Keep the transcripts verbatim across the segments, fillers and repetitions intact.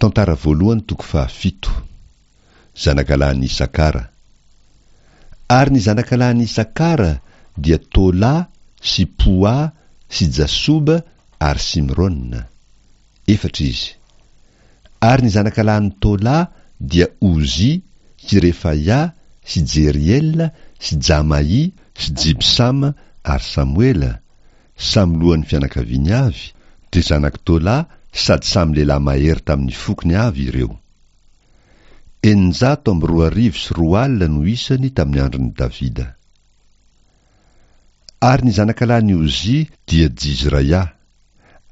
Tantara voalohany toko fahafito. Zanakalahin'i Isakara. Ary ny zanakalahin'i Isakara dia Tolà sy Poà sy Jasoba ary Simrona. Efatra izy. Ary ny zanakalahin'i Tolà dia Ozỳ sy Refaia sy Jeriela sy Jamaì sy Jibsama ary Samoela, samy lohan'ny fianakaviany avy, dia zanak'i Tolà sady samy lehilahy mahery tamin'ny fokony avy ireo. Eninjato amby roa arivo sy roa alina no isany tamin'ny andron'i Davida. Ary ny zanakalahin'i Ozia dia Jizraia,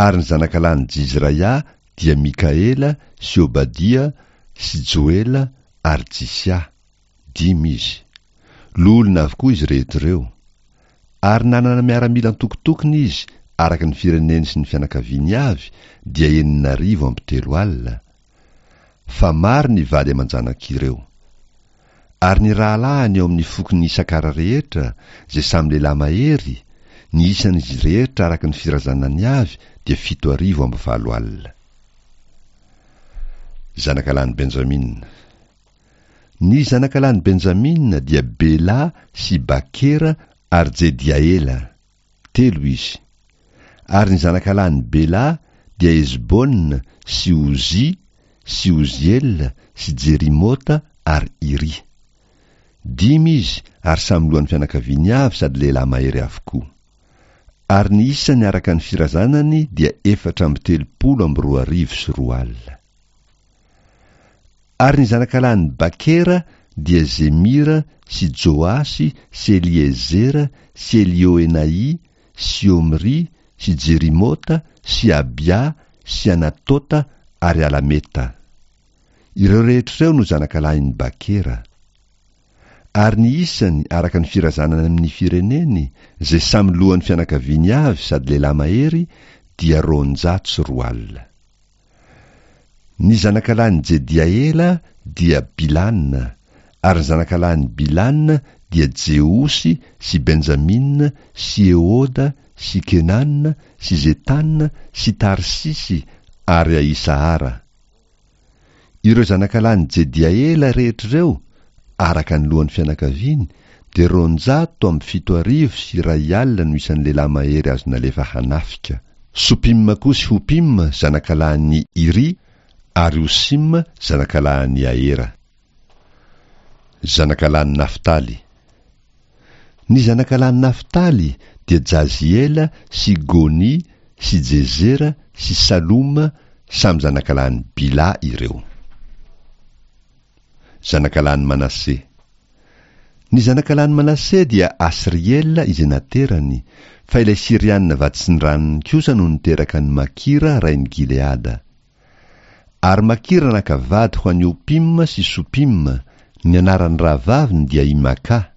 ary ny zanakalahin'i Jizraia dia Mikaela sy Obadia sy Joela ary Jisia, dimy izy. Loholona avokoa izy rehetra ireo. Ary nanana miaramila antokotokony izy araka ny fireneny sy ny fianakaviany avy, dia enina arivo amby telo alina. Fa maro ny vady aman-janak'ireo. Ary ny rahalahiny ao amin'ny fokon'i Isakara rehetra, izay samy lehilahy mahery, ny isan'izy rehetra araka ny firazanany avy dia fito arivo amby valo alina. Zanakalahin'i Benjamina. Ny zanakalahin'i Benjamina dia Bela sy Bakera ary Jediaela. Telo izy. Ary ny zanakalahin'i Bela dia Ezbona sy Ozỳ sy Oziela sy Jerimota ary Iri. Dimy izy ary samy lohan'ny fianakaviany avy sady lehilahy mahery avokoa. Ary ny isany araka ny firazanany dia efatra amby telopolo amby roa arivo sy roa alina. Ary ny zanakalahin'i Bakera dia Zemira sy Joasy sy Eliezera sy Elioenay sy Omry sy Jerimota sy Abia sy Anatota ary Alameta. Ireo rehetra ireo no zanakalahin'i Bakera. Ary ny isany araka ny firazanany amin'ny fireneny, izay samy lohan'ny fianakaviany avy sady lehilahy mahery, dia roanjato sy roa alina. Ny zanakalahin'i Jediaela dia Bilana, ary ny zanakalahin'i Bilana dia Jeosy sy Benjamina sy Ehoda sy Kenana sy Zetana sy Tarsisy ary Ahisahara. Ireo zanakalahin'i Jediaela rehetra ireo, araka ny lohan'ny fianakaviany, dia roanjato amby fito arivo sy iray alina no isan'ny lehilahy mahery azo nalefa hanafika. Sopima koa sy Hopima zanakalahin'i Iri ary Hosima zanakalahin'i Ahera. Zanakalahin'i Naftaly. Ny zanakalahin'i Naftaly dia Jaziela sy Goni sy Jezera sy Saloma, samy zanakalahin'i Bila ireo. Zanakalahin'i Manase. Ny zanakalahin'i Manase dia Asriela izay naterany, fa ilay Syriana vaditsindranony kosa no niteraka an'i Makira rain'i Gileada. Ary Makira naka vady ho an'i Hopima sy Sopima, ny anaran'ny rahavaviny dia i Maka.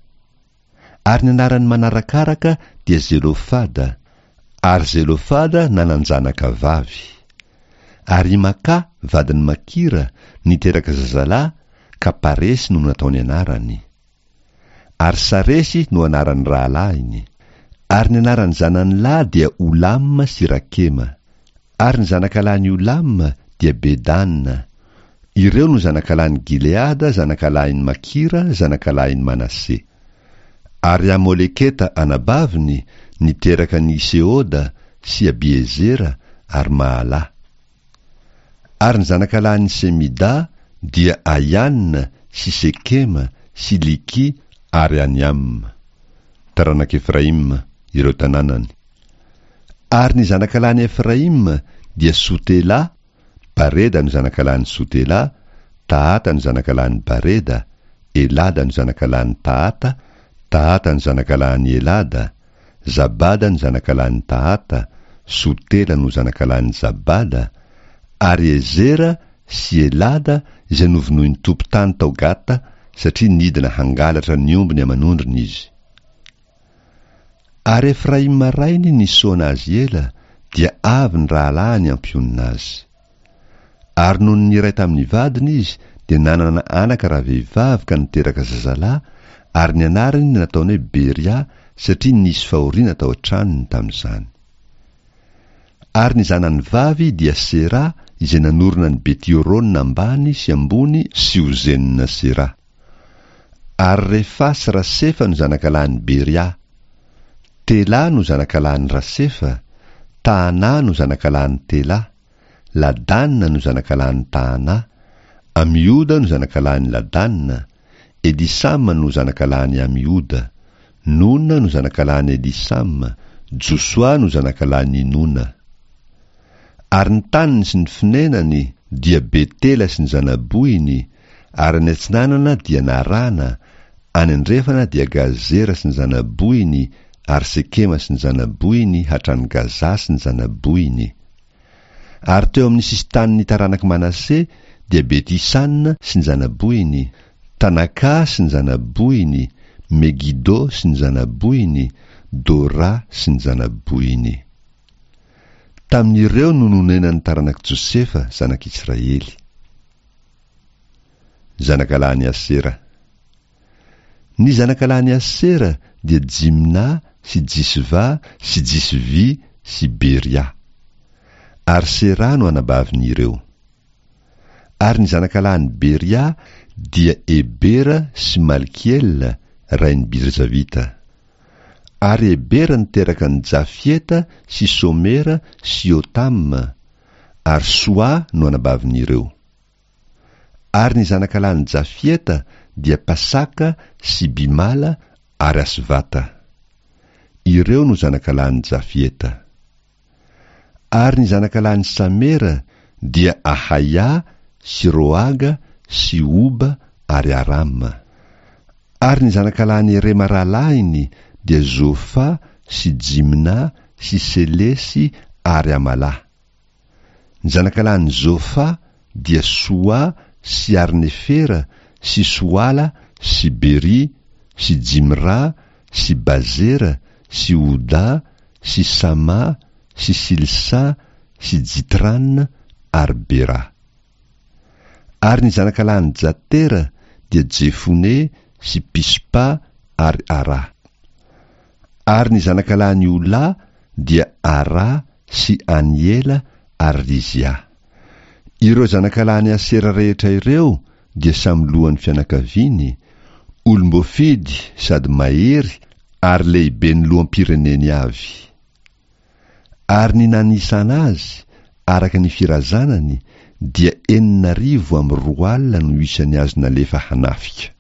Ary ny anaran'ny manarakaraka dia Zelofada, ary Zelofada nanan-janaka vavy. Ary i Maka vadin'i Makira niteraka zazalahy ka Paresy no nataony anarany. Ary Saresy no anaran'ny rahalahiny. Ary ny anaran'ny zanany lahy dia Olama sy Rakema. Ary ny zanakalahin'i Olama dia Bedana. Ireo no zanakalahin'i Gileada, zanakalahin'i Makira, zanakalahin'i Manase. Ary Amoleketa anabaviny niteraka an'i Seoda sy Abiezera ary Mahalà. Ary ny zanakalahin'i Semida dia Aiana sy Sekema sy Liki ary Aniama. Taranak'i Efraima ireo tanànany. Ary ny zanakalahin'i Efraima dia Sotela, Bareda no zanakalahin'i Sotela, Tahata no zanakalahin'i Bareda, Elada no zanakalahin'i Tahata, Tahata no zanakalahin'i Elada, Zabada no zanakalahin'i Tahata, Sotela no zanakalahin'i Zabada, ary Ezera sy Elada izay novonoin'ny tompon-tany tao Gata satria nidina hangalatra ny ombiny aman'ondriny izy. Ary Efraima rainy nisaona azy ela, dia avy ny rahalahiny hampionona azy. Ary nony niray tamin'ny vadiny izy, dia nanana anaka rahavehivavy ka niteraka zazalahy, ary ny anarany nataony hoe Beria satria nisy fahoriana tao an-tranony tamin'izany. Ary ny zanany vavy dia Sera izay nanorina an'i Beti-Horona ambany sy ambony sy Ozen-Sera. Ary Refa sy Rasefa no zanakalahin'i Beria. Tela no zanakalahin'i Rasefa, Tahana no zanakalahin'i Tela, Ladana no zanakalahin'i Tahana, Amioda no zanakalahin'i Ladana, Elisama no zanakalahin'i Amioda, Nona no zanakalahin'i Elisama, Josoa no zanakalahin'i Nona. Ary ny taniny sy ny fonenany dia Betela sy ny zanabohiny, ary any atsinanana dia Narana, any andrefana dia Gazera sy ny zanabohiny, ary Sekema sy ny zanabohiny hatrany Gaza sy ny zanabohiny. Ary teo amin'ny sisin-tanin'ny taranak'i Manase dia Beti-Sana sy ny zanabohiny, Tanaka sy ny zanabohiny, Megido sy ny zanabohiny, Dora sy ny zanabohiny. Tamin'ireo no nonenan'ny taranak'i Josefa, zanak'Israely. Zanakalahin'i Asera. Ny zanakalahin'i Asera dia Jimna sy Jisva sy Jisvy sy Beria. Ary Sera no anabavin'ireo. Ary ny zanakalahin'i Beria dia Ebera sy Malkiela, rain'i Birzavita. Ary Ebera niteraka an'i Jafieta sy Somera sy Jotama, ary Soa no anabavin'ireo. Ary ny zanakalahin'i Jafieta dia Pasaka sy Bimala ary Asvata. Ireo no zanakalahin'i Jafieta. Ary ny zanakalahin'i Samera dia Ahaia sy Roaga sy Oba ary Arama. Ary ny zanakalahin'i Rema rahalahiny dia Zofa sy Jimna sy Selesy ary Amala. Ny zanakalahin'i Zofa dia Soa sy Arnefera sy Soala sy Beri sy Jimra sy Bazera sy Oda sy Sama sy Silsa sy Jitran ary Bera. Ary ny zanakalahin'i Jatera dia Jefone sy Pispa ary Ara. Ary ny zanakalahin'i Ola dia Ara sy Aniela ary Rizia. Ireo zanakalahin'i Asera rehetra ireo dia samy lohan'ny fianakaviany, olom-boafidy sady mahery ary lehiben'ny loham-pireneny avy. Ary ny nanisana azy, araka ny firazanany, dia enina arivo amby roa alina no isan'ny azo nalefa hanafika.